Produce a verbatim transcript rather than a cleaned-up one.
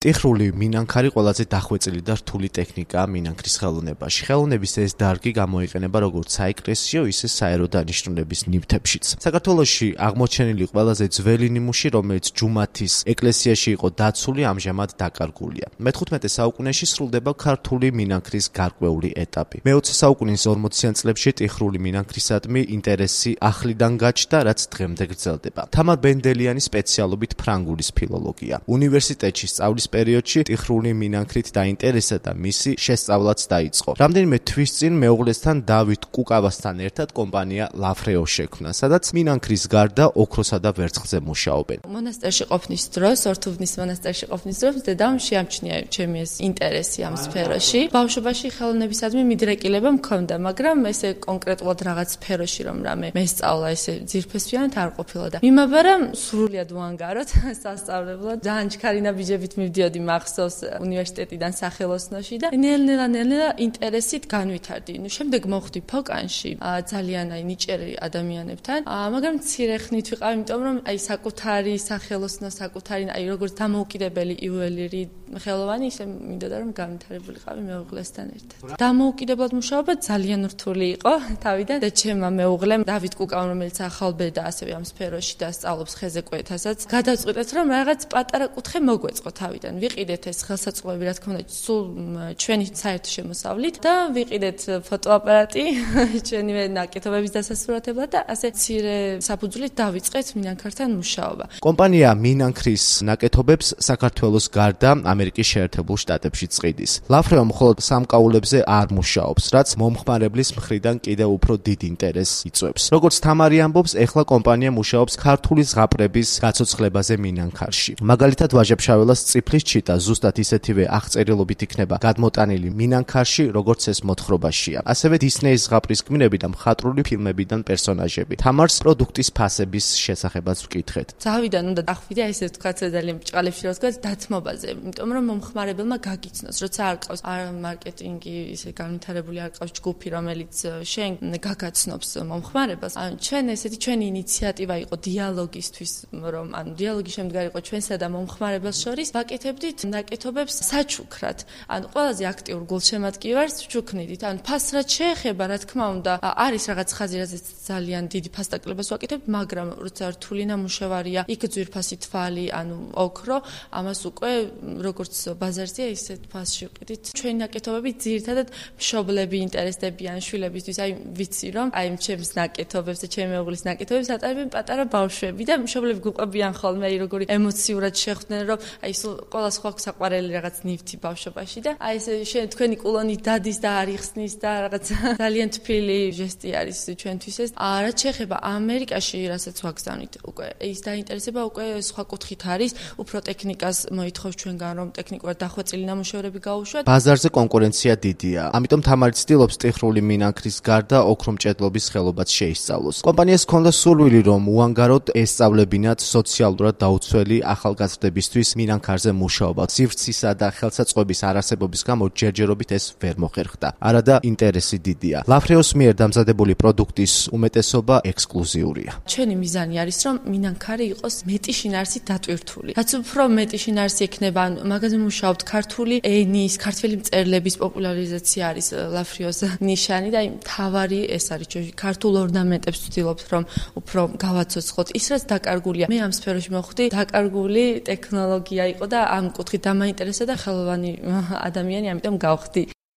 ტიხრული მინანქარი ყველაზე დახვეწილი და რთული ტექნიკაა მინანქრის ხელოვნებაში. ხელოვნების ეს დარგი გამოიყენება როგორც საეკლესიო, ისე საერო დანიშნულების ნივთებშიც. საქართველოში აღმოჩენილი ყველაზე ძველი ნიმუში, რომელიც ჯუმათის ეკლესიაში იყო დაცული, ამჟამად დაკარგულია. მეთხუთმეტე საუკუნეში სრულდება ქართული მინანქრის გარკვეული ეტაპი. მეოცე საუკუნის ორმოციან წლებში ტიხრული მინანქრისადმი ინტერესი ახლიდან გაჩნდა, რაც დღემდე გრძელდება. თამარ ბენდელიანის სპეციალობით ფრანგულის ფილოლოგია. უნივერსიტეტში სწავლის პერიოდში ტიხრული მინანქრით დაინტერესა და მისი შესწავლაც დაიწყო. რამდენიმე თვის წინ მეუღლესთან დავით კუკავასთან ერთად კომპანია ლაფრეო შექმნა, სადაც მინანქრის გარდა ოქროსა და ვერცხლზე მუშაობენ. მონასტერში ყოფნის დროს, ორთუბნის მონასტერში ყოფნის დროს დედამ შეამჩნია ჩემი ეს ინტერესი ამ სფეროში. ბავშვობაში ხელოვნებისადმი მიდრეკილება მქონდა, მაგრამ ესე კონკრეტულად რაღაც სფეროში რომ რამე მესწავლა ესე ძირფესვიანად არ ყოფილა და მიმაბარა სრულიად უანგაროდ სასწავლებლად. ძალიან ჩქარი ნაბიჯებით მივდიოდი მახსოვს უნივერსიტეტიდან სახელოსნოში და ნელ-ნელა ნელ-ნელა ინტერესით განვითარდი. ნუ შემდეგ მოხვდი ფოკანში ძალიან აი ნიჭიერი ადამიანებთან, მაგრამ მცირე ხნით ვიყავ, იმიტომ რომ აი საკუთარი სახელოსნო, საკუთარი აი როგორც დამოუკიდებელი იუველირი ხელოვანი ისე მინდოდა რომ განვითარებულიყავი მეუღლესთან ერთად. დამოუკიდებლად მუშაობა ძალიან რთული იყო თავიდან და ჩემმა მეუღლემ დავით კუკამ, რომელიც ახალბედა ასევე ამ სფეროში და სწავლობს ხეზე კვეთასაც, გადავწყვიტეთ რომ რაღაც პატარა კუთხე მოგვეწყო თავიდან. ვიყიდეთ ეს ხელსაწყოები, რა თქმა უნდა, სულ ჩვენი საერთო შემოსავლით და ვიყიდეთ ფოტოაპარატი ჩვენივე ნაკეთობების დასასრულებლად და ასე მცირე საფუძვლით დავიწყეთ მინანქართან მუშაობა. კომპანია მინანქრის ნაკეთობებს საქართველოს გარდა ამერიკის შეერთებულ შტატებშიც ყიდის. ლაფრეო მხოლოდ სამკაულებზე არ მუშაობს, რაც მომხმარებლის მხრიდან კიდევ უფრო დიდ ინტერესს იწვევს. როგორც თამარი ამბობს, ეხლა კომპანია მუშაობს ქართული ზღაპრების გაცოცხლებაზე მინანქარში. მაგალითად, ვაჟებშაველას წიფლის ჩიტა ზუსტად ისეთივე აღწერილობით იქნება გადმოტანილი მინანქარში, როგორც ეს მოთხრობაშია. ასევე დისნეის ზღაპრის გმირები და მხატვრული ფილმებიდან პერსონაჟები. თამარს პროდუქტის ფასების შესახებაც ვკითხეთ. თავიდან უნდა დახვიდე ესე ვთქვათ, ძალიან ბრჭყალებში რა ვთქვათ, დათმობაზე, იმიტომ რომ მომხმარებელმა გაგიცნოს, როცა არ ყავს არ მარკეტინგი, ისე განვითარებული არ ყავს ჯგუფი, რომელიც შენ გაგაცნობს მომხმარებელს. ან ჩვენ ესეთი ჩვენი ინიციატივა იყო დიალოგისთვის, რომ ანუ დიალოგი შემდგარი იყო ჩვენსა და მომხმარებელს შორის, ვაკეთებდით ნაკეთობებს საჩუქრად. ან ყველაზე აქტიურ გულშემატკივარს ვჩუქნიდით. ან ფასრად შეეხება, რა თქმა უნდა, არის რაღაც ხაზი, რაზეც ძალიან დიდი ფასდაკლებას ვაკეთებთ, მაგრამ როცა რთული ნამუშევარია, იქ ძვირფასი თვალი, ანუ ოქრო, ამას უკვე როგორც ბაზარზეა, ისეთ ფასში ვყიდით. ჩვენი ნაკეთობები ძირითადად მშობლები ინტერესდებიან, შვილებისთვის, აი ვიცი რომ აი ჩემს ნაკეთობებს და ჩემი მეუღლის ნაკეთობებს ატარებენ პატარა ბავშვები და მშობლები გვყვებიან ხოლმე, აი როგორი ემოციურად შეხვდნენ, რომ აი სულ ყველა სხვა საყვარელი რაღაც ნივთი ბავშვობაში და აი ეს შენ თქვენი კულონი დადის და არიხსნის და რაღაც ძალიან თბილი ჟესტი არის ჩვენთვის ეს. რაც შეეხება ამერიკაში, რასაც ვაგზავნით, უკვე ის დაინტერესება უკვე სხვა კუთხით არის, უფრო ტექნიკას მოითხოვს ჩვენგან, რომ ტექნიკურად დახვეწილი ნამუშევრები გაუშვათ. ბაზარზე კონკურენცია დიდია, ამიტომ თამარი ცდილობს ტიხრული მინანქრის გარდა ოქრომჭედლობის ხელობაც შეისწავლოს. კომპანიას ჰქონდა სურვილი, რომ უანგაროდ ესწავლებინათ სოციალურად დაუცველი ახალგაზრდებისთვის მინანქარზე მუშაობა. სივრცისა და ხელსაწყოების არარსებობის გამო ჯერჯერობით ეს ვერ მოხერხდა. არადა ინტერესი დიდია. ლაფრეოს მიერ დამზადებული პროდუქტის უმეტესობა ექსკლუზიურია. ჩვენი მიზანი არის, რომ მინანქარი იყოს მეტი შინაარსით დატვირთული. რაც უფრო მეტი შინაარსი ექნება, ან მაგაზე მუშაობთ ქართული ენის, ქართველი მწერლების პოპულარიზაცია არის ლაფრეოს ნიშანი და აი მთავარი ეს არის ჩვენი ქართულ ორნამენტებს ვცდილობთ, რომ უფრო გავაცოცხლოთ. ის რაც დაკარგულია, მე ამ სფეროში მოხვდი, დაკარგული ტექნოლოგია იყო და ამ კუთხით დამაინტერესა და ხელოვანი ადამიანი, ამიტომ გავხდი.